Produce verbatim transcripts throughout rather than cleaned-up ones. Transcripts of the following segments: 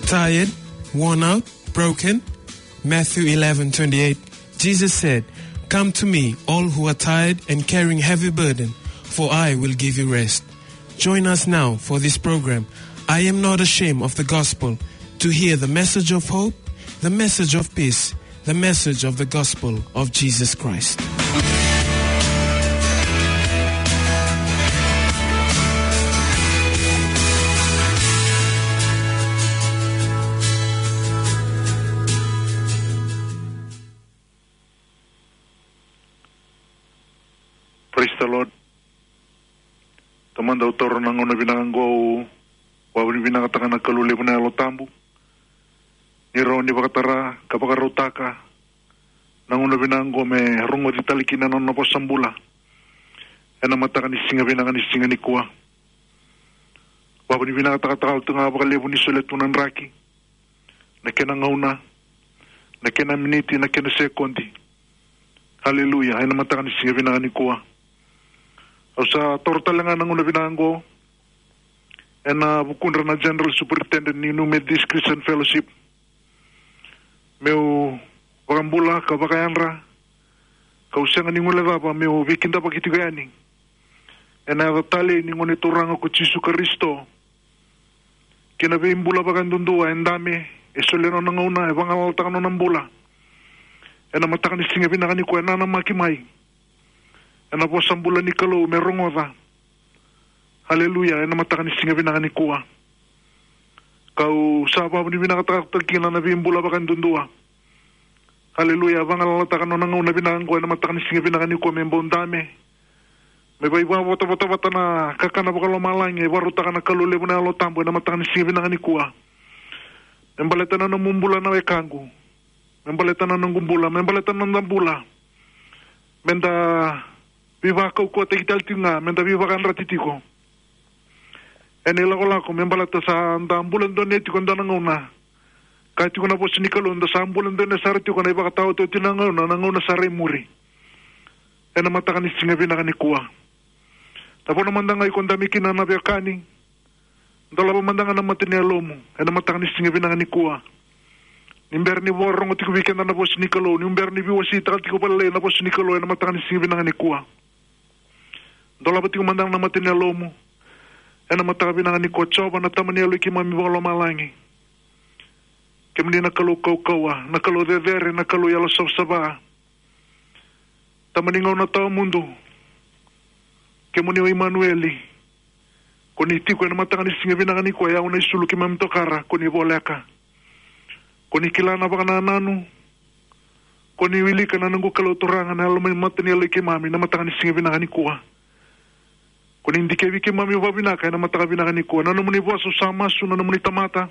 Tired, worn out, broken? Matthew eleven twenty-eight, Jesus said, "Come to me, all who are tired and carrying heavy burden, for I will give you rest." Join us now for this program, I Am Not Ashamed of the Gospel, to hear the message of hope, the message of peace, the message of the gospel of Jesus Christ. Praise the Lord. Tamada, au taura na gauna vinaka oqo, au vakavinavinakataka na Kalou levu na Yalo Tabu. Ni rawa ni vakatara ka vakarautaka na gauna vinaka oqo me rogoci tale kina na nona vosa bula. Ena mataka ni siga vinaka ni siga nikua. Vakavinavinakataka tale tu ga vakalevu ni solia tu na draki, na kena gauna, na kena miniti, na kena sekodi. Haleluya, ena mataka ni siga vinaka nikua. Au sa taura tale ga na gauna vinaka oqo, ena vukudra na General Superintendent ni New Methodist Christian Fellowship, meu vakabula ka vakayadra, kau sega ni guilecava meu veikidavaki tiko yani ena yaca talei ni Gone Turaga ko Jisu Karisito, kei na veibula vakayadudua e dame, e solia nona gauna, e vagalalataka nona bula. Ena mataka ni siga vinaka nikua e nanamaki mai ena vosa bula ni Kalou me rogoca. Haleluya, ena mataka ni siga vinaka nikua. Kau sa vakavinavinakataka kina na veibula vakayadudua. Haleluya, vagalalataka nona gauna vinaka oqo ena mataka ni siga vinaka nikua me bau dame, me vakaivotavota vata na kakana vakalomalagi e vakarautaka na Kalou levu na Yalo Tabu ena mataka ni siga vinaka nikua. Me baleta na nomu bula na wekaqu, me baleta na noqu bula, me baleta na noda bula. Meda veivakaukauwataki tale tiko ga, meda veivakayadrati tiko ena ilakolako, me baleta sa da bula donuya tiko e dua na gauna. Kaya tiko na vosa ni Kalou, da sa bula donuya sara tiko ena ivakataotioti ni gauna, na gauna sara e muri. Ena mataka ni siga vinaka nikua, na vanua mada ga iko dame kina na veiwekani, dolava mada ga na mata ni yalomu ena mataka ni siga vinaka nikua. Ni bera ni vakarorogo tiko vei keda na vosa ni Kalou, ni bera ni veiwaseitaka tiko vakalailai na vosa ni Kalou ena mataka ni siga vinaka nikua, dolava tiko mada ga na mata ni yalomu ena mataka vinaka nikua. Jiova na Tama ni yalo i keimami vakalomalagi, kemuni na Kalou kaukauwa, na Kalou cecere, na Kalou yalo savasava, Tama ni gauna tawamudu, kemuni o Imanueli. Ko ni tiko ena mataka ni siga vinaka nikua, e au na isulu, keimami tokara, ko ni voleka. Ko ni kila na vakanananu, ko ni wilika na noqu Kalou Turaga na yalo mai mata ni yalo i keimami na mataka ni siga vinaka nikua. Ko ni dikevi keimami vakavinaka ena mataka vinaka nikua. Na nomuni vosa au sa masu, na nomuni tamata,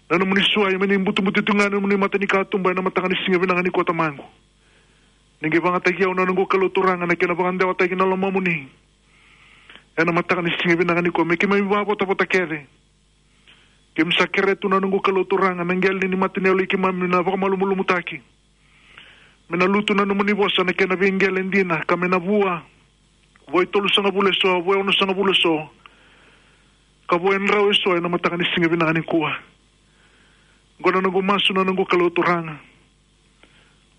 na nomuni suai me ni butubutu tu ga na nomuni matanikatuba ena mataka ni siga vinaka nikua, Tamaqu. Ni qai vakayagataki au na noqu Kalou Turaga na kena vakadewataki na lomamuni ena mataka ni siga vinaka nikua, me keimami vakavotavota kece. Keimami sa kerea tu na noqu Kalou Turaga na qele ni mata ni yalo i keimami na vakamalumalumutaki, me na lutu na nomuni vosa na kena veiqele dina, ka me na vua, vua e tolusagavulu eso, vua e onosagavulu eso, ka vua e drau eso ena mataka ni siga vinaka nikua. Oqo na noqu masu na noqu Kalou Turaga.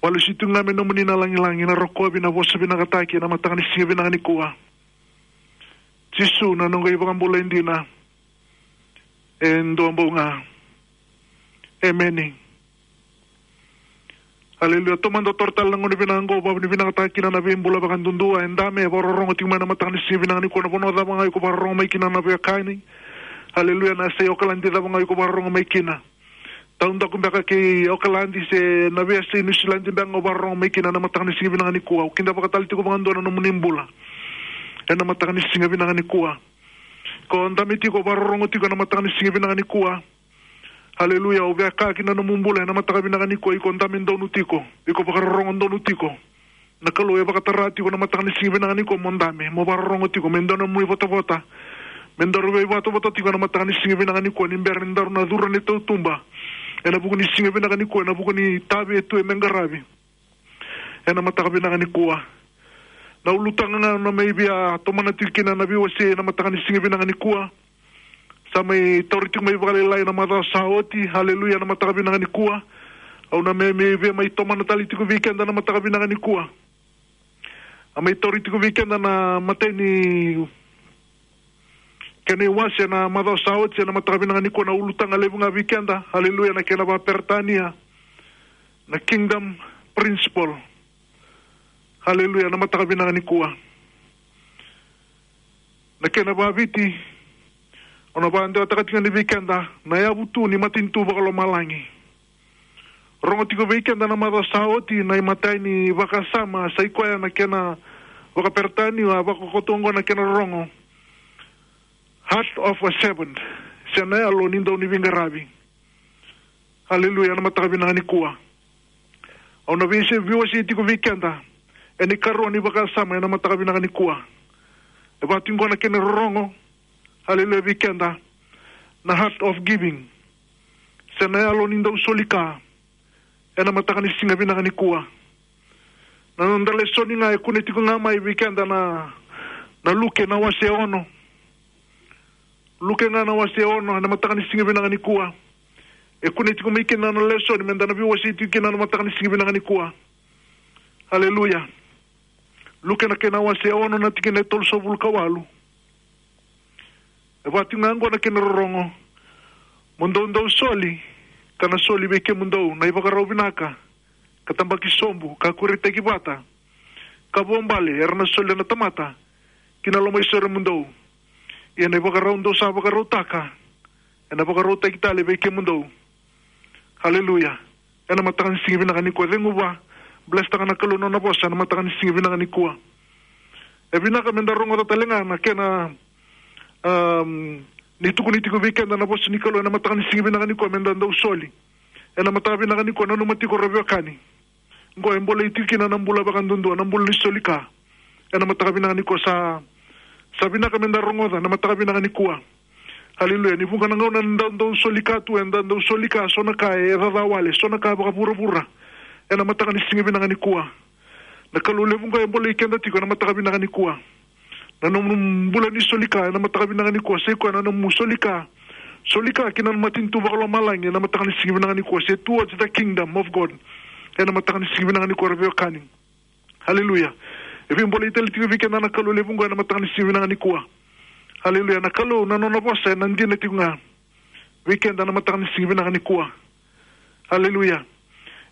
Vakalesuya tu ga me nomuni na lagilagi, na rokovi, na vosa vinakataki ena mataka ni siga vinaka nikua. Jisu na noqu iVakabula e dina, e dua bau ga. Emeni. Aleluya. Taumada, taura tale na gauna vinaka oqo, vakavinavinakataka kina na veibula vakayadudua e dame, e vakarorogo tiko mai na mataka ni siga vinaka nikua, na vanua cava ga iko vakarorogo mai kina na veiwekani. Aleluya. Na yasai Okaladi cava ga iko vakarorogo mai kina, taudaku beka kei Okaladi se na veiyasai Niusiladi beka ga o vakarorogo mai kina na mataka ni siga vinaka nikua. Au kidavaka tale tiko vakadua na nomuni bula ena mataka ni siga vinaka nikua. Ko dame tiko, vakarorogo tiko ena mataka ni siga vinaka nikua. Aleluya. Au via kaya kina na nomu bula ena mataka vinaka nikua, iko dame donu tiko, iko vakarorogo donu tiko. Na Kalou e vakatara tiko na mataka ni siga vinaka nikua mo dame, mo vakarorogo tiko, me daru na nomuni votavota, me daru veivotavota tiko na mataka ni siga vinaka nikua, ni bera ni daru na curu ena tautuba ena vuku ni siga vinaka nikua, ena vuku ni itavi e tu me qaravi ena mataka vinaka nikua. Na ulutaga ga au na mai via tomana tiko kina na veiwasei ena mataka ni siga vinaka nikua. Sa mai tauri tiko mai vakalailai na macawa sa oti, haleluya, na mataka vinaka nikua. Au na me, me via mai tomana tale tiko vei keda na mataka vinaka nikua. A mai tauri tiko vei keda na imatai ni kena iwase na macawa sa oti ena mataka vinaka nikua, na ulutaga levu ga vei keda, haleluya, na kena vakaperitania, na kingdom principle. Haleluya, na mataka vinaka nikua. Na kena vakaviti, au na vakadewataka tiko yani vei keda na yavu tu ni matanitu vakalomalagi. Rogo tiko vei keda na macawa sa oti na imatai ni vakasama, sa i koya na kena vakaperitania, a vakakoto oqo na kena rorogo, heart of a servant, se na yalo ni dauniveiqaravi. Haleluya, na mataka vinaka nikua. Au na vei se, veiwasei tiko vei keda ena ikarua ni vakasama ena mataka vinaka nikua. E vaka tiko oqo na kena rorogo, haleluya, vei keda, na heart of giving, se na yalo ni dau soli ka, ena mataka ni siga vinaka nikua. Na noda lesoni ga e kune tiko ga mai vei keda na, na Luke na wase ono. Luke ga na wase ono, ena mataka ni siga vinaka nikua. E kune tiko mai kina na lesoni meda na veiwasei tiko kina na mataka ni siga vinaka nikua. Haleluya. Luke na kena wase ono na tikina e tolusagavulu ka walu. E vaka tiko ga oqo na kena rorogo. Mo dou dau soli, ka na soli vei kemudou na ivakarau vinaka, ka tabaki sobu, ka kuretaki vata, ka vuabale era na solia na tamata ki na loma i sore mudou. Ia na ivakarau dou sa vakarautaka, ena vakarautaki tale vei kemudou. Haleluya. Ena mataka ni siga vinaka nikua, cegu vua. Bless taka na Kalou na nona vosa ena mataka ni siga vinaka nikua. E vinaka meda rogoca tale ga na kena, um, ni tukuni tiko vei keda na vosa ni Kalou ena mataka ni siga vinaka nikua meda dau soli. Ena mataka vinaka nikua, nanuma tiko, ra veiwekani. Qo e bolei tiko kina na bula vakadudua, na bula ni soli ka. Ena mataka vinaka nikua sa, sa vinaka meda rogoca na mataka vinaka nikua. Haleluya. Ni vuqa na gauna eda dau soli ka tu, eda dau soli ka, so na ka e caca wale, so na ka vakavuravura. Ena mataka ni siga vinaka nikua, na Kalou levu qo e bolei keda tiko ena mataka vinaka nikua. Na nomu bula ni soli ka ena mataka vinaka nikua, sa i koya na nomu soli ka, soli ka ki na matanitu vakalomalagi ena mataka ni siga vinaka nikua, se towards the kingdom of God. Ena mataka ni siga vinaka nikua, ra veiwekani. Haleluya. E veibolei tale tiko vei keda na Kalou levu qo ena mataka ni siga vinaka nikua. Haleluya. Na Kalou na nona vosa ena dina tiko ga vei keda na mataka ni siga vinaka nikua. Haleluya.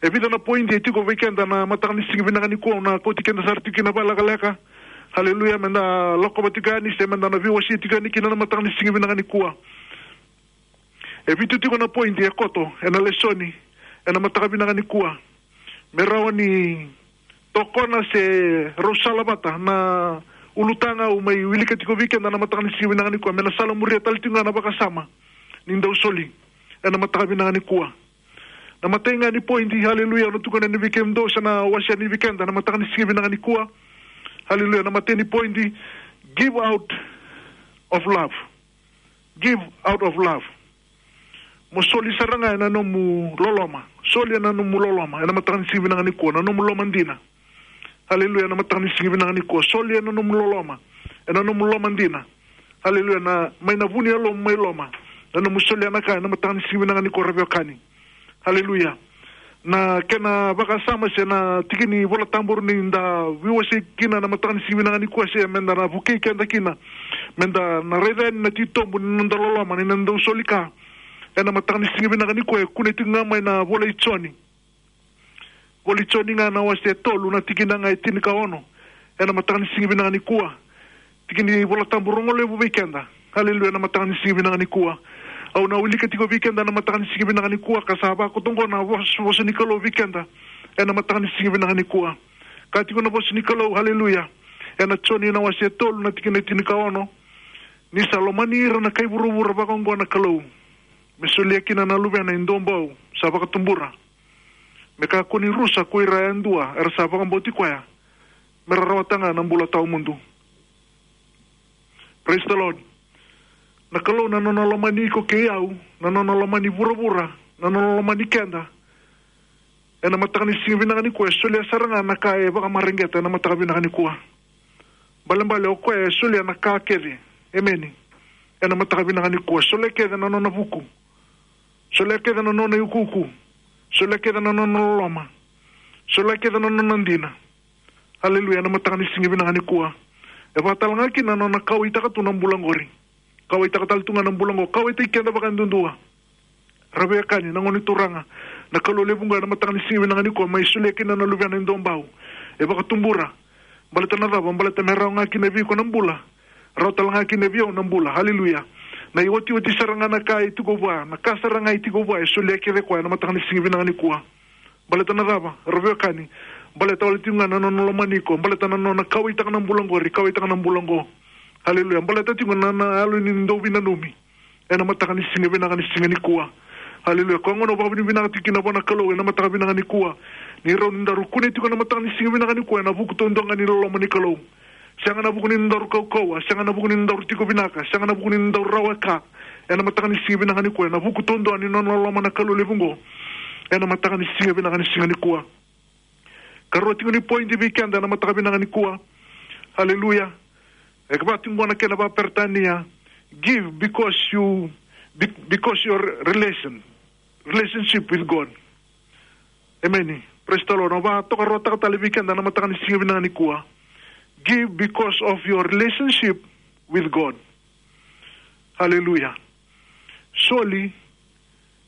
E vica na point e tiko vei keda na mataka ni siga vinaka nikua, au na kauti keda sara tiko kina vakalekaleka. Haleluya. Meda lakova tiko yani, se meda na veiwasei tiko yani kina na mataka ni siga vinaka nikua. E vitu tiko na point e koto ena lesoni ena mataka vinaka nikua, me rawa ni tokona se rau salavata na ulutaga au mai wilika tiko vei keda na mataka ni siga vinaka nikua, me na salamuria tale tiko ga na vakasama ni dau soli ena mataka vinaka nikua. Na imatai ga ni point, haleluya, au na tukuna yani vei kemudou, sa na wasea yani vei keda na mataka ni siga vinaka nikua. Haleluya. Na imatai ni point, give out of love. Give out of love. Mo soli sara ga ena nomu loloma. Soli ena nomu loloma ena mataka ni siga vinaka nikua, na nomu loma dina. Haleluya. Ena mataka ni siga vinaka nikua, soli ena nomu loloma, ena nomu loma dina. Haleluya. Na mai na vu ni yalomu mai loma, na nomu solia na ka ena mataka ni siga vinaka nikua, ra veiwekani. Haleluya. Na kena vakasama se na tiki ni Vola Tabu ni da veiwasei kina na mataka ni siga vinaka nikua, se meda na vukei keda kina, meda na raica yani na titobu ni noda loloma ni na dau soli ka ena mataka ni siga vinaka nikua, e kune tiko ga mai na Vola i Joni. Vola i Joni ga na wase tolu na tikina ga e tinikaono ena mataka ni siga vinaka nikua. Tiki ni Vola Tabu rogo levu vei keda. Haleluya, na mataka ni siga vinaka nikua. Au na wilika tiko vei keda na mataka ni siga vinaka nikua, ka sa vakoto oqo na vosa, vosa ni Kalou vei keda ena mataka ni siga vinaka nikua. Ka tiko na vosa ni Kalou, haleluya, ena Joni na wase tolu na tikina e tinikaono: Ni sa lomani ira na kai vuravura vaka oqo na Kalou, me solia kina na Luvena e dua bau sa vakatubura, me kakua ni rusa ko ira yadua era sa vakabauti koya, me ra rawata ga na bula tawamudu. Praise the Lord. Na Kalou na nona lomani iko kei au, na nona lomani vuravura, na nona lomani keda, ena mataka ni siga vinaka nikua, e solia sara ga na ka e vakamareqeta ena mataka vinaka nikua. Balebale o koya e solia na ka kece. Emeni. Ena mataka vinaka nikua, solia kece na nona vuku. Solia kece na nona iukuuku. Solia kece na nona loloma. Solia kece na nona dina. Aleluya, ena mataka ni siga vinaka nikua. E vakatalega kina na nona kauwaitaka tu na bula qori. Kauwaitaka tale tu ga na bula qo, kauwaitaki keda vakaduadua. Ra veiwekani, na gone turaga, na Kalou levu qo ena mataka ni siga vinaka nikua, mai solia kina na luvena e dua bau. E vakatubura. Baleta na cava? Baleta me rawa ga kina vei iko na bula. Rawa tale ga kina vei au na bula. Aleluya. Na iotioti sara ga na ka e tiko vua, na ka sara ga e tiko vua, e solia kece koya ena mataka ni siga vinaka nikua. Baleta na cava? Ra veiwekani. Baleta wale tiko ga na nona lomani iko. Baleta na nona kauwaitaka na bula qori, kauwaitaka na bula qo. Aleluya. Baleta tiko na, na yalo ni dau veinanumi. Ena mataka ni siga vinaka ni siga nikua. Aleluya. Koya gona au vakavinavinaka tiko kina vua na Kalou ena mataka vinaka nikua. Ni rawa ni daru kune tiko ena mataka ni siga vinaka nikua ena vuku taudua ga ni loloma ni Kalou. Sega na vuku ni nodaru kaukauwa, sega na vuku ni nodaru tiko vinaka, sega na vuku ni nodaru rawa e ka. Ena mataka ni siga vinaka nikua, ena vuku taudua ni nona loloma na Kalou levu qo. Ena mataka ni siga vinaka ni siga nikua. Karua tiko ni point vei keda ena mataka vinaka nikua. Aleluya. E ka vaka tiko qo na kena vakaperitania. Give because you, be-, because your relation, relationship with God. Emeni. Praise the Lord. Au vakatokaruataka tale vei keda ena mataka ni siga vinaka nikua. Give because of your relationship with God. Aleluya. Soli,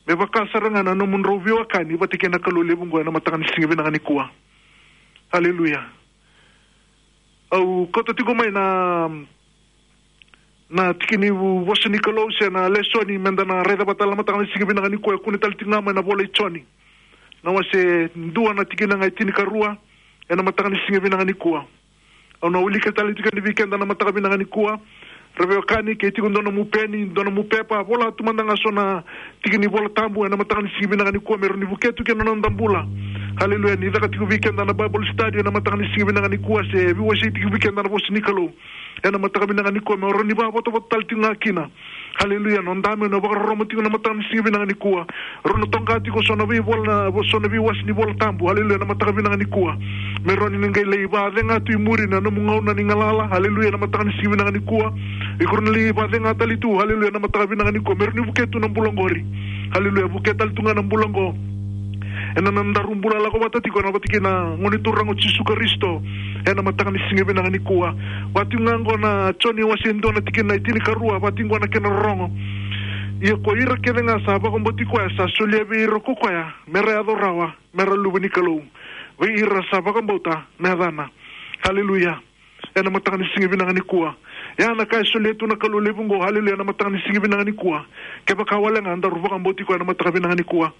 me vaka sara ga na nomudrau veiwekani vata kei na Kalou levu qo ena mataka ni siga vinaka nikua. Aleluya. Au kauta tiko mai na, na tiki ni vosa ni Kalou se na lesoni meda na raica vata tale na mataka ni siga vinaka nikua, e kune tale tiko ga mai na ivola i Joni. Na wase dua na tikina ga e tinikarua, ena mataka ni siga vinaka nikua. Au na wilika tale tiko yani vei keda na mataka vinaka nikua. Ra veiwekani, ke tiko dua nomu peni, dua nomu pepa, vola tu mada ga so na tiki ni Vola Tabu ena mataka ni siga vinaka nikua, me rawa ni vukea tu kina na noda bula. Aleluya, ni caka tiko vei keda na Bible study ena mataka ni siga vinaka nikua, se veiwasei tiko vei keda na vosa ni Kalou. Ena mataka vinaka nikua, me rawa ni vakavotavota tale tiko ga kina. Aleluya, noda me na vakarorogo tiko na mataka ni siga vinaka nikua. Rawa ni toqa tiko so na veivola na, so na veiwase ni Vola Tabu. Aleluya, na mataka vinaka nikua. Me rawa ni qai lai vacega tu i muri na nomu gauna ni galala. Aleluya, na mataka ni siga vinaka nikua. Iko rawa ni lai vacega tale tu. Aleluya, na mataka vinaka nikua. Me rawa ni vukea tu na bula qori. Aleluya, vukea tale tu ga na bula qo. Ena nodaru bula lako vata tiko na vata kei na Gone Turaga o Jisu Karisito. Ena mataka ni siga vinaka nikua. Vaka tiko ga qo na Joni wase dua na tikina e tinikarua, vaka tiko qo na kena rorogo. Ia ko ira kece ga sa vakabauti koya, sa solia vei ira ko koya, me ra yaco rawa, me ra luve ni Kalou. Vei ira sa vakabauta na yacana. Aleluya. Ena mataka ni siga vinaka nikua. Ia na ka e solia tu na Kalou levu qo, aleluya, na mataka ni siga vinaka nikua. Kevaka wale ga daru vakabauti koya na mataka vinaka nikua.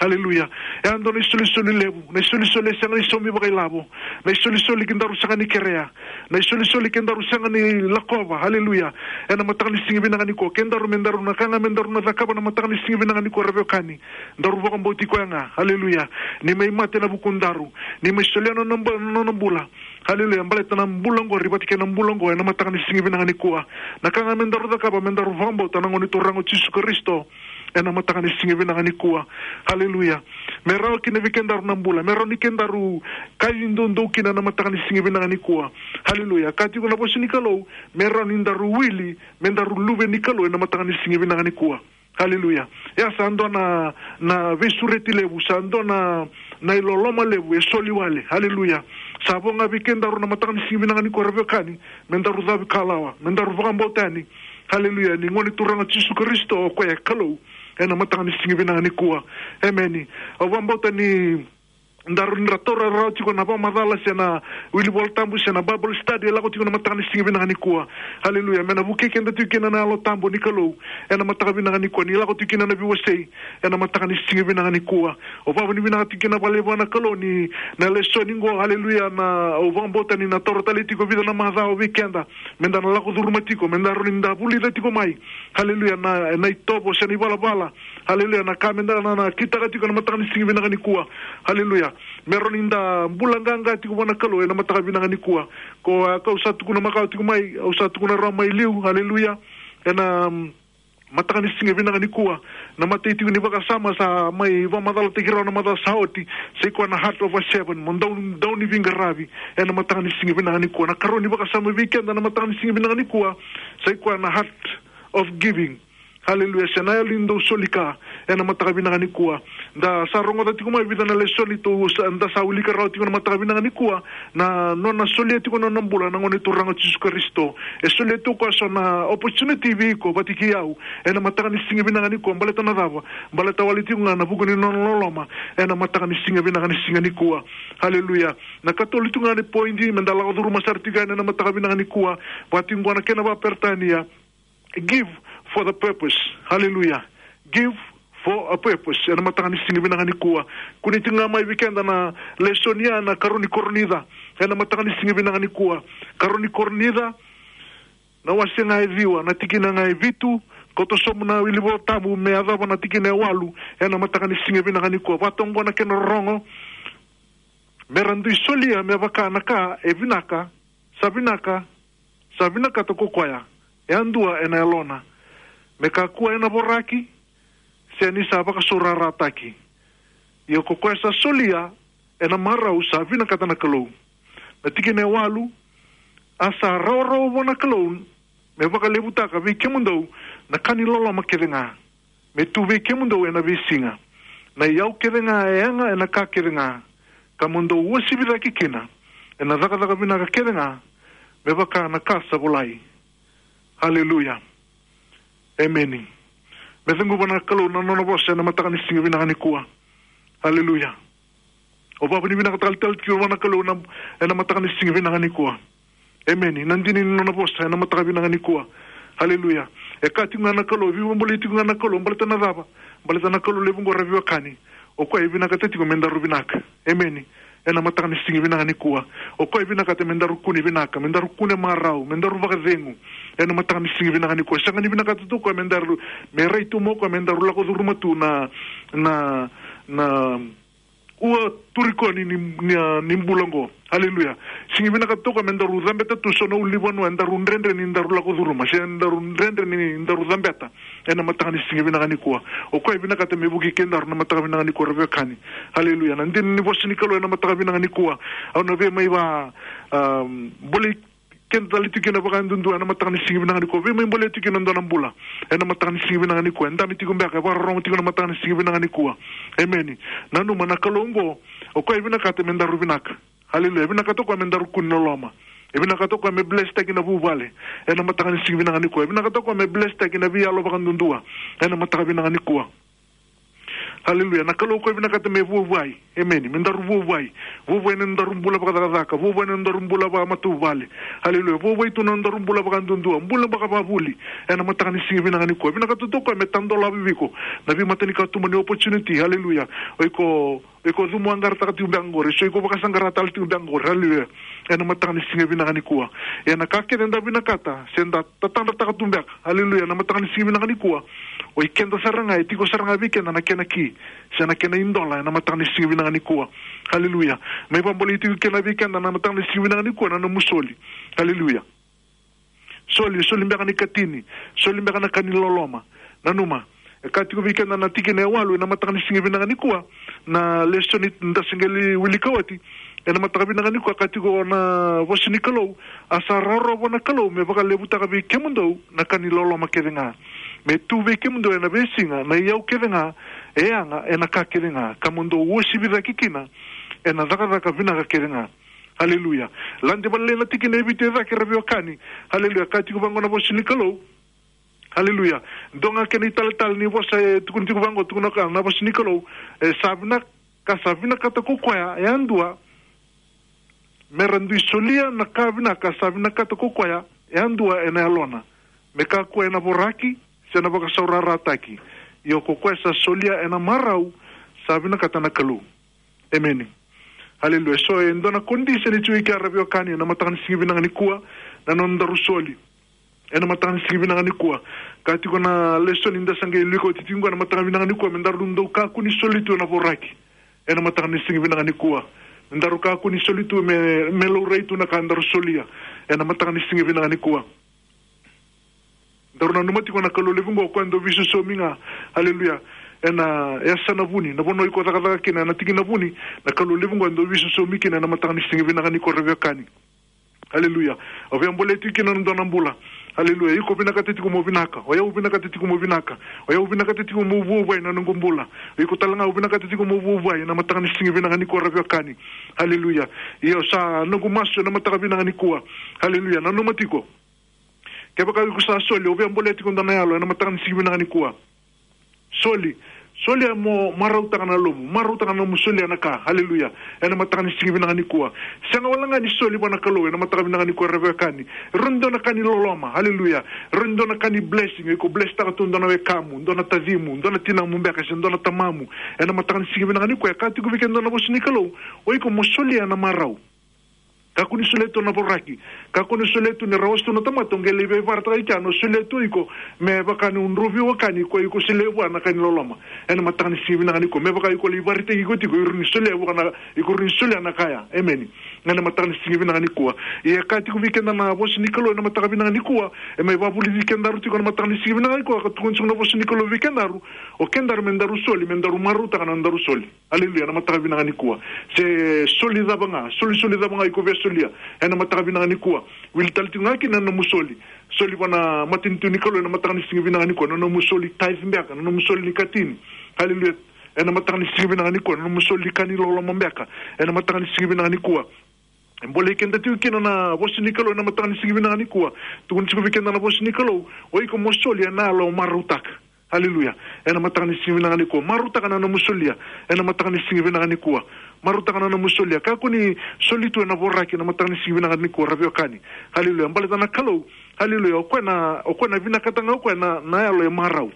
Aleluya. E a dua na isolisoli levu, na isolisoli e sega ni saumi vakailavo, na isolisoli kedaru sega ni kerea, na isolisoli kedaru sega ni lakova. Aleluya. Ena mataka ni siga vinaka nikua, kedaru me daru na ka ga me daru na cakava na mataka ni siga vinaka nikua, ra veiwekani. Daru vakabauti koya ga. Aleluya. Ni mai mate ena vukudaru, ni mai solia na nona bu-, na nona bula. Aleluya. Baleta na bula qori vata kei na bula qo ena mataka ni siga vinaka nikua. Na ka ga me daru cakava me daru vakabauta na Gone Turaga o Jisu Karisito. Ena mataka ni siga vinaka nikua. Aleluya. Me rawa kina vei kedaru na bula, me rawa ni kedaru kaci doudou kina na mataka ni siga vinaka nikua. Aleluya. Ka tiko na vosa ni Kalou, me rawa ni daru wili me daru luve ni Kalou ena mataka ni siga vinaka nikua. Aleluya. Ia sa dua na, na veisureti levu, sa dua na, na iloloma levu e soli wale. Aleluya. Sa vo ga vei kedaru na mataka ni siga vinaka nikua, ra veiwekani, me daru cavi kalawa, me daru vakabauta yani. Aleluya. Ni Gone Turaga o Jisu Karisito o koya e Kalou. Ena mataka ni siga vinaka nikua. Emeni. Au vakabauta ni daru, ni ra taura rawa tiko na vakamacala se na wili Vola Tabu se na Bible study e lako tiko na mataka ni siga vinaka nikua. Aleluya. Me na vukei keda tiko kina na Yalo Tabu ni Kalou. Ena mataka vinaka nikua, ni lako tiko kina na veiwasei. Ena mataka ni siga vinaka nikua. Au vakavinavinaka tiko kina vakalevu vua na Kalou ni na lesoni qo. Aleluya. Na, au vakabauta ni na taura tale tiko e vica na macawa vei keda. Me da na lako curuma tiko, me da rawa ni da vulica tiko mai. Aleluya, na, na itovo se na ivalavala. Aleluya, na ka me da na, na kitaka tiko na mataka ni siga vinaka nikua. Aleluya. Me rawa ni da bula qaqa tiko vua na Kalou ena mataka vinaka nikua. Ko, a, kau sa tukuna makawa tiko mai, au sa tukuna rawa mai liu. Aleluya. Ena, mm, mataka ni siga vinaka nikua. Na matai tiko ni vakasama sa mai vakamacalataki rawa na macawa sa oti. Sa i koya na heart of a servant. Mo dau, dau ni veiqaravi. Ena mataka ni siga vinaka nikua. Na karua ni vakasama vei keda na mataka ni siga vinaka nikua. Sa i koya na heart of giving. Haleluya. Se na yalo ni dau soli ka ena mataka vinaka nikua. Da sa rogoca tiko mai vica na lesoni tou sa, da sa wilika rawa tiko na mataka vinaka nikua, na nona solia tiko na nona bula na Gone Turaga o Jisu Karisito. E solia tu o koya so na opportunity vei iko vata kei au ena mataka ni siga vinaka nikua. Baleta na cava? Baleta wale tiko ga na vuku ni nona loloma ena mataka ni siga vinaka ni siga nikua. Haleluya. Na katolu tiko ga ni point me da lako curuma sara tiko yani ena mataka vinaka nikua, vaka tiko qo na kena vakaperitania: give for the purpose. Haleluya. Give for a purpose. Ena mataka ni siga vinaka nikua, kune tiko ga mai vei keda na lesoni ya na karua ni Korinica ena mataka ni siga vinaka nikua. Karua ni Korinica, na wase ga e ciwa, na tikina ga e vitu, koto sobu na wili Vola Tabu me yacova na tikina e walu ena mataka ni siga vinaka nikua. Vaka toka qo na kena rorogo: Me ra dui solia me vaka na ka e vinaka, sa vinaka, sa vinakata ko koya e yadua ena yalona, me kakua ena voraki, se ni sa vakasaurarataki. Ia ko koya sa solia ena marau sa vinakata na Kalou. Na tikina e walu: A sa rawarawa vua na Kalou me vakalevutaka vei kemudou na ka ni loloma kece ga, me tu vei kemudou ena veisiga, na iyau kece ga e yaga ena ka kece ga, ka mo dou uasivi cake kina ena cakacaka vinaka kece ga, me vaka na ka sa volai. Haleluya. Emeni. Me cuva na Kalou na nona vosa ena mataka ni siga vinaka nikua. Haleluya. Au vakavinavinaka tale tiko vua na Kalou na, ena mataka ni siga vinaka nikua. Emeni. Na dina ni nona vosa ena mataka vinaka nikua. Haleluya. E kaya tiko ga na Kalou, veivakabulai tiko ga na Kalou, baleta na cava? Baleta na Kalou levu qo, ra veiwekani, o koya e vinakata tiko me daru vinaka. Emeni. Ena mataka ni siga vinaka nikua, o koya e vinakata me daru kune vinaka, me daru kune marau, me daru vakacegu. Ena mataka ni siga vinaka nikua, sega ni vinakata tu o koya me daru, me rai tu mai o koya me daru lako curuma tu na, na, na ua turi koya ni, ni, ni, ni bula qo. Haleluya. Sega ni vinakata tu o koya me daru cabeta tu so na ulunivanua e daru dredre ni daru lako curuma, se daru dredre ni daru cabeta. Ena mataka ni siga vinaka nikua, o koya e vinakata me vukei kedaru na mataka vinaka nikua, ra veiwekani. Haleluya. Na dina ni vosa ni Kalou ena mataka vinaka nikua, au na via mai va, um, bolei keda tale tiko kina vakayadudua ena mataka ni siga vinaka nikua. Via mai bolei tiko kina e dua na bula ena mataka ni siga vinaka nikua. E dabe tiko beka, e vakarorogo tiko na mataka ni siga vinaka nikua. Emeni. Nanuma na Kalou oqo, o koya e vinakata me daru vinaka. Haleluya. E vinakata o koya me daru kune loloma. E vinakata o koya me blesstaki na vuvale ena mataka ni siga vinaka nikua. E vinakata o koya me blesstaki na veiyalo vakaduadua ena mataka vinaka nikua. Haleluya. Na Kalou o koya e vinakata me vuavuai. Emeni. Me daru vuavuai. Vuavuai na nodaru bula vakacakacaka. Vuavuai na nodaru bula vakamatavuvale. Haleluya. Vuavuai tu na nodaru bula vakaduadua, bula vakavavuli ena mataka ni siga vinaka nikua. E vinakata tu o koya me tadolavi vei iko na veimatanikatuba ni opportunity. Haleluya. O iko, o iko cumu aqarataka tiko beka qori, so iko vakasaqara tale tiko beka qori. Haleluya. Ena mataka ni siga vinaka nikua, ia na ka kece eda vinakata se da tatadrataka tu beka, haleluya, na mataka ni siga vinaka nikua, o ikeda sara ga, e tiko sara ga vei keda na kena ki se na kena idola ena mataka ni siga vinaka nikua. Haleluya. Mai vakabolei tiko kina vei keda na mataka ni siga vinaka nikua na nomu soli. Haleluya. Soli, soli beka na ikatini, soli beka na ka ni loloma. Nanuma, e kaya tiko vei keda na tikina e walu ena mataka ni siga vinaka nikua, na lesoni da se qai wilika oti ena mataka vinaka nikua, kaya tiko na vosa ni Kalou: A sa rawarawa vua na Kalou me vakalevutaka vei kemudou na ka ni loloma kece ga, me tu vei kemudou ena veisiga na iyau kece ga e yaga ena ka kece ga, ka mo dou uasivi cake kina ena cakacaka vinaka kece ga. Haleluya. Lade vakalailai na tikina e vitu e cake, ra veiwekani. Haleluya. Kaya tiko vaqo na vosa ni Kalou. Haleluya. Dua ga kena italetale ni vosa e tukuni tiko vaqo, tukuna o koya na vosa ni Kalou: E sa vinaka, ka sa vinakata ko koya yadua, me ra dui solia na ka vinaka sa vinakata ko koya yadua ena yalona, me kakua ena voraki se na vakasaurarataki. Ia ko koya sa solia ena marau sa vinakata na Kalou. Emeni. Haleluya. So e dua na condition e tiko i ke, ra veiwekani, ena mataka ni siga vinaka nikua, na nodaru soli ena mataka ni siga vinaka nikua. Kaya tiko na lesoni da sa qai wilika oti tiko qo ena mataka vinaka nikua, me daru dau kakua ni soli tu ena voraki ena mataka ni siga vinaka nikua. Me daru kakua ni soli tu me, me laurai tu na ka daru solia ena mataka ni siga vinaka nikua. Daru nanuma tiko na Kalou levu qo, o koya e dau veisosomi ga. Haleluya. Ena yasana vuni, na vanua iko cakacaka kina, ena tikina vuni, na Kalou levu qo e dau veisosomi kina ena mataka ni siga vinaka nikua, ra veiwekani. Haleluya. O via bolea tiko kina na dua na bula Haleluya. Iko vinakata tiko mo vinaka. O yau vinakata tiko mo vinaka. O yau vinakata tiko mo vuavuai na noqu bula. Iko tale ga o vinakata tiko mo vuavuai ena mataka ni siga vinaka nikua, ra veiwekani. Haleluya. Io, sa noqu masu ena mataka vinaka nikua. Haleluya. Nanuma tiko. Kevaka iko sa soli, o via bolea tiko dua na yalo ena mataka ni siga vinaka nikua. Soli. Solia mo marautaka na lomamu, marautaka na nomu solia na ka. Haleluya. Ena mataka ni siga vinaka nikua. Sega wale ga ni soli vua na Kalou ena mataka vinaka nikua, ra veiwekani. Rawa ni dua na ka ni loloma. Haleluya. Rawa ni dua na ka ni blessing. Iko blesstaka tu dua na wekamu, dua na tacimu, dua na tinamu beka se dua na tamamu. Ena mataka ni siga vinaka nikua, e kaya tiko vei keda na vosa ni Kalou, o iko mo solia na marau. Kakua ni solia tu na voraki. Kakua ni solia tu ni ra wasea tu na tamata, o qai lai veivarataka i kea, o solia tu o iko me vaka ni o dau veiwekani, o iko solia vua na ka ni loloma. Ena mataka ni siga vinaka nikua, me vaka o iko lai vakaraitaki iko tiko, o rawa ni solia vua na, o rawa ni solia na ka ya. Emeni. Ena mataka ni siga vinaka nikua. Ia e kaya tiko vei keda na vosa ni Kalou ena mataka vinaka nikua, e mai vakavulici kedaru tiko ena mataka ni siga vinaka nikua, ka tukuna tiko na vosa ni Kalou vei kedaru, o kedaru me daru soli, me daru marautaka na daru soli. Haleluya, ena mataka vinaka nikua. Se soli cava ga, soli, soli cava ga iko via solia ena mataka vinaka nikua. Wili tale tiko ga kina na nomu soli. Soli vua na matanitu ni Kalou ena mataka ni siga vinaka nikua, na nomu soli tithe beka, na nomu soli ni katini. Haleluya. Ena mataka ni siga vinaka nikua, na nomu soli ni ka ni loloma beka. Ena mataka ni siga vinaka nikua. E bolei keda tiko kina na vosa ni Kalou ena mataka ni siga vinaka nikua. Tukuna tiko vei keda na vosa ni Kalou, o iko mo soli ena yalo marautaka. Haleluya. Ena mataka ni siga vinaka nikua, marautaka na nomu solia. Ena mataka ni siga vinaka nikua, marautaka na nomu solia. Kakua ni soli tu ena voraki ena mataka ni siga vinaka nikua, ra veiwekani. Haleluya. Baleta na Kalou, haleluya, o koya na, o koya na vinakata ga o koya na, na yalo e marau.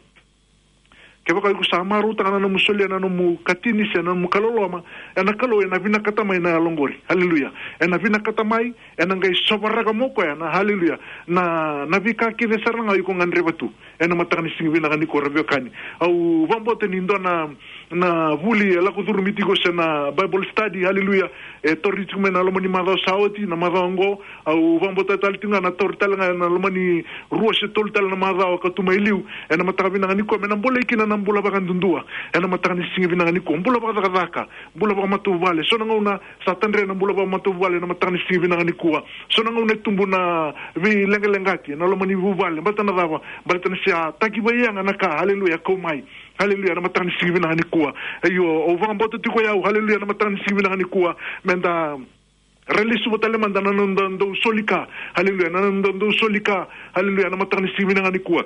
Kevaka iko sa marautaka na nomu solia na nomu katini se na nomu ka loloma, ena Kalou ena vinakata mai na yalo qori. Haleluya. Ena vinakata mai, ena qai sovaraka mai o koya na, haleluya, na, na veika kece sara ga o iko gadreva tu. Ena mataka ni siga vinaka nikua, ra veiwekani. Au vakabauta ni dua na, na vuli e lako curumi tiko se na Bible study, haleluya, e tauri tiko mai na loma ni macawa sa oti, na macawa oqo. Au vakabauta tale tiko ga na tauri tale ga ena loma ni rua se tolu tale na macawa ka tu mai liu. Ena mataka vinaka nikua, me na bolei kina na bula vakayadudua. Ena mataka ni siga vinaka nikua, bula vakacakacaka, bula vakamatavuvale. So na gauna sa tadre na bula vakamatavuvale ena mataka ni siga vinaka nikua. So na gauna e tubu na veileqaleqataki ena loma ni vuvale. Baleta na cava? Baleta ni sa taki vakayaga na ka, haleluya, kau mai. Haleluya, ena mataka ni siga vinaka nikua. Io, au vakabauta tiko o yau, haleluya, ena mataka ni siga vinaka nikua, me da ra lesuva tale mada na noda dau soli ka. Haleluya, na noda dau soli ka. Haleluya, ena mataka ni siga vinaka nikua.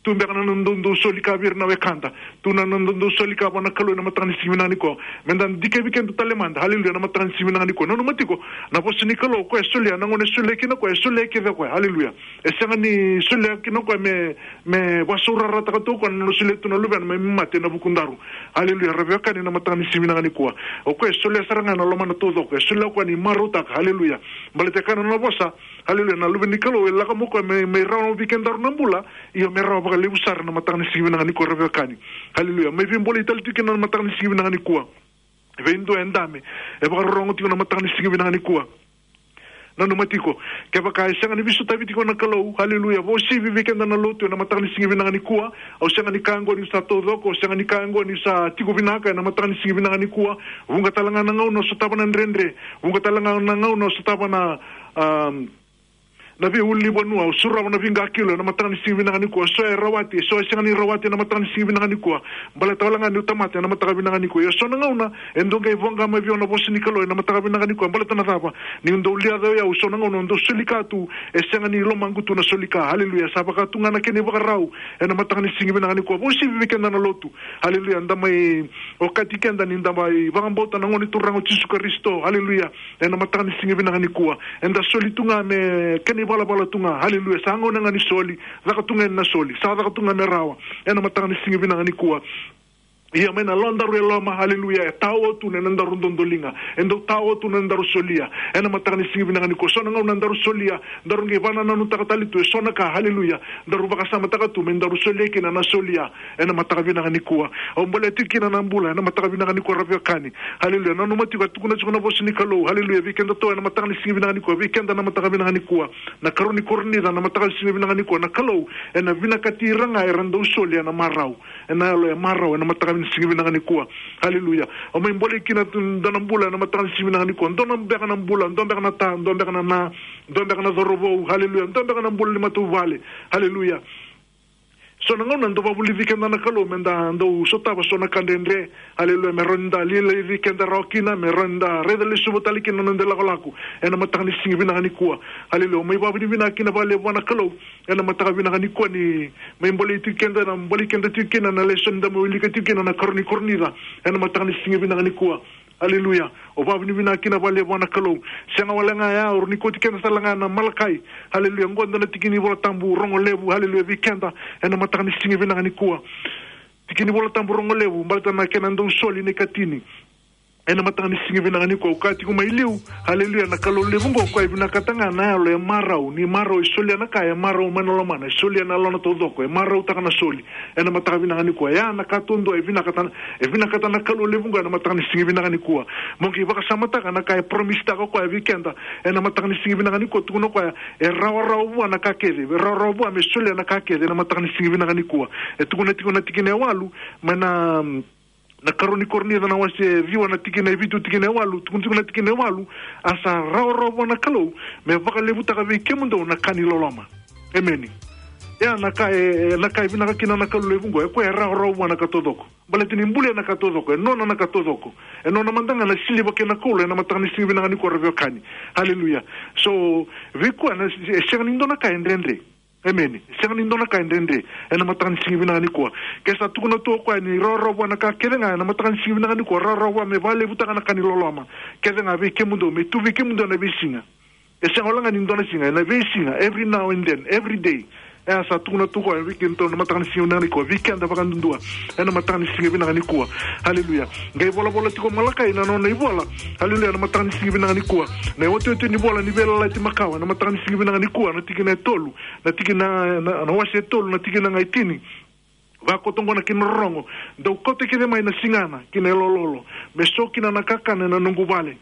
Tu beka na noda dau soli ka vei ira na wekada. Tu na noda dau soli ka vua na Kalou ena mataka ni siga vinaka nikua. Me da dikevi keda tale mada. Haleluya, ena mataka ni siga vinaka nikua. Nanuma tiko na vosa ni Kalou, o koya e solia, na gauna e solia kina o koya, e solia kece o koya. Haleluya. E sega ni solia kina o koya me, me vakasaurarataka tu o koya na nona solia tu na Luvena me mai mate ena vukudaru. Haleluya, ra veiwekani, ena mataka ni siga vinaka nikua. O koya e solia sara ga ena lomana taucoko, e solia o koya ni marautaka. Haleluya. Baleta e kaya na nona vosa, haleluya, na Luve ni Kalou e lako mai o koya me, me rawa vei kedaru na bula, io me rawa vakalevu sara, ena mataka ni siga vinaka nikua, ra veiwekani. Haleluya. Mai veibolei tale tiko kina ena mataka ni siga vinaka nikua. Vei dua e dabe, e vakarorogo tiko ena mataka ni siga vinaka nikua. Nanuma tiko, kevaka e sega ni veisotavi tiko na Kalou, haleluya, vakauasivi vei keda na lotu ena mataka ni siga vinaka nikua. Au sega ni kaya oqo niu sa taucoko, au sega ni kaya oqo niu sa tiko vinaka ena mataka ni siga vinaka nikua. Vuqa tale ga na gauna au sotava na dredre, vuqa tale ga na gauna au sotava na, am, na veiulunivanua, au surava na veiqakilo ena mataka ni siga vinaka nikua. So e rawati, so e sega ni rawati ena mataka ni siga vinaka nikua. Baleta wale ga niu tamata ena mataka vinaka nikua. Ia so na gauna e dau qai voqa mai vei au na vosa ni Kalou ena mataka vinaka nikua. Baleta na cava? Niu dau liaca o yau, so na gauna au dau soli ka tu, e sega ni lomaqu tu na soli ka. Haleluya. Sa vaka tu ga na kena ivakarau ena mataka ni siga vinaka nikua. Vakauasivi vei keda na lotu. Haleluya. Da mai okati keda ni da mai vakabauta na Gone Turaga o Jisu Karisito. Haleluya. Ena mataka ni siga vinaka nikua, eda soli tu ga me kena ivalavala tu ga. Haleluya. Sa gauna ga ni soli, caka tu ga na soli. Sa caka tu ga me rawa. Ena mataka ni siga vinaka nikua. Ia mai na lomadaru e loma, haleluya, e tao tu na nodaru dodoliga. E dau tao tu na nodaru solia. Ena mataka ni siga vinaka nikua, so na gauna daru solia, daru qai vakanananutaka tale tu eso na ka, haleluya, daru vakasamataka tu me daru solia kina na solia. Ena mataka vinaka nikua. Au bolea tiko kina na bula ena mataka vinaka nikua, ra veiwekani. Haleluya. Nanuma tiko, a tukuna tiko na vosa ni Kalou, haleluya, vei kedatou ena mataka ni siga vinaka nikua, vei keda na mataka vinaka nikua. Na karua ni Korinica na mataka ni siga vinaka nikua, na Kalou ena vinakati ira ga era dau solia na marau. ena yalo e marau ena mataka ni siga vinaka nikua. Haleluya. O mai bolei kina tu dua na bula ena mataka ni siga vinaka nikua. Dua na beka na bula, dua beka na ta, dua beka na na, dua beka na cauravou. Haleluya. Dua beka na bula ni matavuvale. Haleluya. So na gauna dau vakavulici keda na Kalou me da dau sotava so na ka dredre. Haleluya. Me rawa ni da lilaici keda rawa kina, me rawa ni da raica lesuva tale kina na noda ilakolako ena mataka ni siga vinaka nikua. Haleluya. O mai vakavinavinaka kina vakalevu vua na Kalou ena mataka vinaka nikua ni mai bolei tiko keda, na bolei keda tiko kina na lesoni da mai wilika tiko kina na karua ni Korinica ena mataka ni siga vinaka nikua. Haleluya. O vakavinavinaka kina vakalevu vua na Kalou. Sega wale ga ya, o rawa ni kauti keda tale ga na Malakai. Haleluya. Qo dua na tiki ni Vola Tabu rogo levu, haleluya, vei keda ena mataka ni siga vinaka nikua. Tiki ni Vola Tabu rogo levu, baleta na kena dau soli na ikatini ena mataka ni siga vinaka nikua. Au kaya tiko mai liu, haleluya, na Kalou levu qo, o koya e vinakata ga na yalo e marau. Ni marau, e solia na ka e marau mai na lomana, e solia na lona taucoko, e marautaka na soli ena mataka vinaka nikua. Ya na ka duadua e vinakata na, e vinakata na Kalou levu qo ena mataka ni siga vinaka nikua. Mo qai vakasamataka na ka e promise-taka o koya vei keda ena mataka ni siga vinaka nikua. Tukuna o koya, e rawarawa vua na ka kece, e rawarawa vua me solia na ka kece ena mataka ni siga vinaka nikua. E tukuna tiko na tikina e walu, mai na, mm, na karua ni Korinica na wase ciwa na tikina e vitu, tikina e walu, tukuna tiko na tikina e walu, a sa rawarawa vua na Kalou me vakalevutaka vei kemudou na ka ni loloma. Emeni. Ya na ka e, e, na ka e vinaka kina na Kalou levu qo, e koya e rawarawa vua na ka taucoko. Baleta ni bulia na ka taucoko, e nona na ka taucoko. E nona mada ga na siliva kei na koula ena mataka ni siga vinaka nikua, ra veiwekani. Haleluya. So, vei koya na, e sega ni dua na ka e dredre. Emeni. Sega ni dua na ka e dredre ena mataka ni siga vinaka nikua. Ke sa tukuna tu o koya ni rawarawa vua na ka kece ga ena mataka ni siga vinaka nikua, rawarawa vua me vakalevutaka na ka ni loloma kece ga vei kemudou, me tu vei kemudou ena veisiga. E sega wale ga ni dua na siga, ena veisiga, every now and then, every day. E a sa tukuna tu o koya vei kemudou ena mataka ni siga vinaka nikua, vei keda vakadudua ena mataka ni siga vinaka nikua. Haleluya. Qai volavola tiko o Malakai na nona ivola. Haleluya, ena mataka ni siga vinaka nikua. Na iotioti ni vola ni Veiyalayalati Makawa ena mataka ni siga vinaka nikua, na tikina e tolu, na tikina, na, na wase e tolu, na tikina ga e tini. Vakoto qo na kena rorogo: Dou kauta kece mai na sigana kei na yalololo, me so kina na kakana ena noqu vale,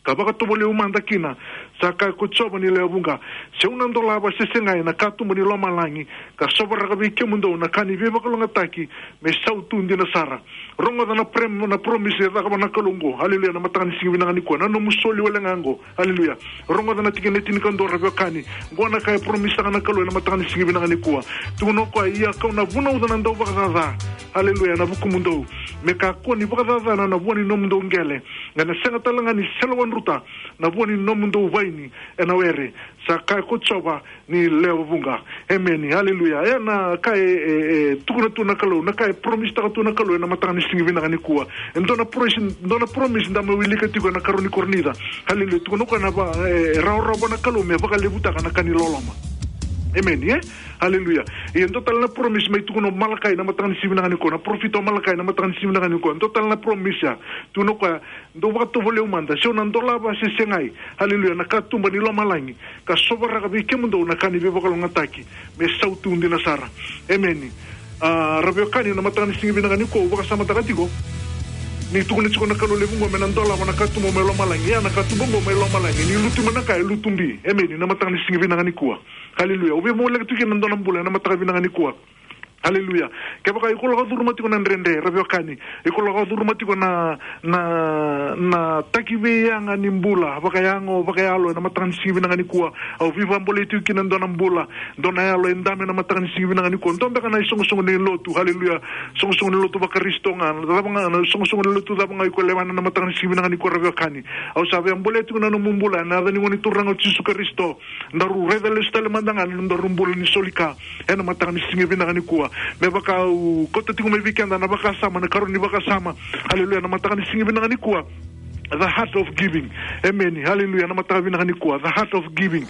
ka vakatovolei au mada kina, sa kaya ko Jiova ni lewe vuqa. Se au na dolava se segai na katuba ni lomalagi, ka sovaraka vei kemudou na ka ni veivakalougatataki, me sautu dina sara. Rogoca na prem-, na promise e cakava na Kalou qo. Haleluya, na mataka ni siga vinaka nikua. Na nomu soli wale ga qo. Haleluya. Rogoca na tikina e tinikadua, ra veiwekani. Qo na ka e promise-taka na Kalou ena mataka ni siga vinaka nikua. Tukuna o koya, ia kau na vunauca na dauvakacaca, haleluya, ena vukumudou, me kakua ni vakacacana na vua ni nomudou qele, ena sega tale ga ni selewadruta na vua ni nomudou vaini ena were, sa kaya ko Jiova ni lewe vuqa. Emeni. Haleluya. E na ka e, e, e tukuna tu na Kalou, na ka e promise-taka tu na Kalou ena mataka ni siga vinaka nikua. E dua na promise, dua na promise da mai wilika tiko ena karua ni Korinica. Haleluya. Tukuna o koya na va-, e, e rawarawa na Kalou me vakalevutaka na ka ni loloma. Emeni, e? Haleluya. E dua tale na promise mai tukuna o Malakai na mataka ni siga vinaka nikua, na parofita o Malakai na mataka ni siga vinaka nikua. Dua tale na promise ya. Tukuna o koya, dou vakatovolei au mada, se au na dolava se segai, haleluya, na katuba ni lomalagi, ka sovaraka vei kemudou na ka ni veivakalougatataki, me sautu dina sara. Emeni. A, ra veiwekani, na mataka ni siga vinaka nikua, au vakasamataka tiko ni tukuna tiko na Kalou levu qo me na dolava na katuba mai lomalagi. Ia na katuba qo mai lomalagi, ni lutu mai na ka e lutu bi. Emeni. Na mataka ni siga vinaka nikua. Haleluya. Au via voleka tiko kina na dua na bula ena mataka vinaka nikua. Haleluya. Kevaka iko lako curuma tiko na dredre, ra veiwekani, iko lako curuma tiko na, na, na takiveiyaga ni bula vakayago, vakayalo, ena mataka ni siga vinaka nikua. Au veivakabolei tiko kina dua na bula, dua na yalo e dabe ena mataka ni siga vinaka nikua. Dua beka na isoqosoqo ni lotu, haleluya, soqosoqo ni lotu vaKarisito ga, cava ga, na soqosoqo ni lotu cava ga iko lewena ena mataka ni siga vinaka nikua, ra veiwekani. Au sa via bolea tiko na nomu bula ena yaca ni Gone Turaga o Jisu Karisito. Daru raica lesu tale mada ga na nodaru bula ni soli ka ena mataka ni siga vinaka nikua. Me vaka au kauta tiko mai vei keda na vakasama, na karua ni vakasama. Haleluya, na mataka ni siga vinaka nikua. The heart of giving. Emeni. Haleluya, na mataka vinaka nikua. The heart of giving.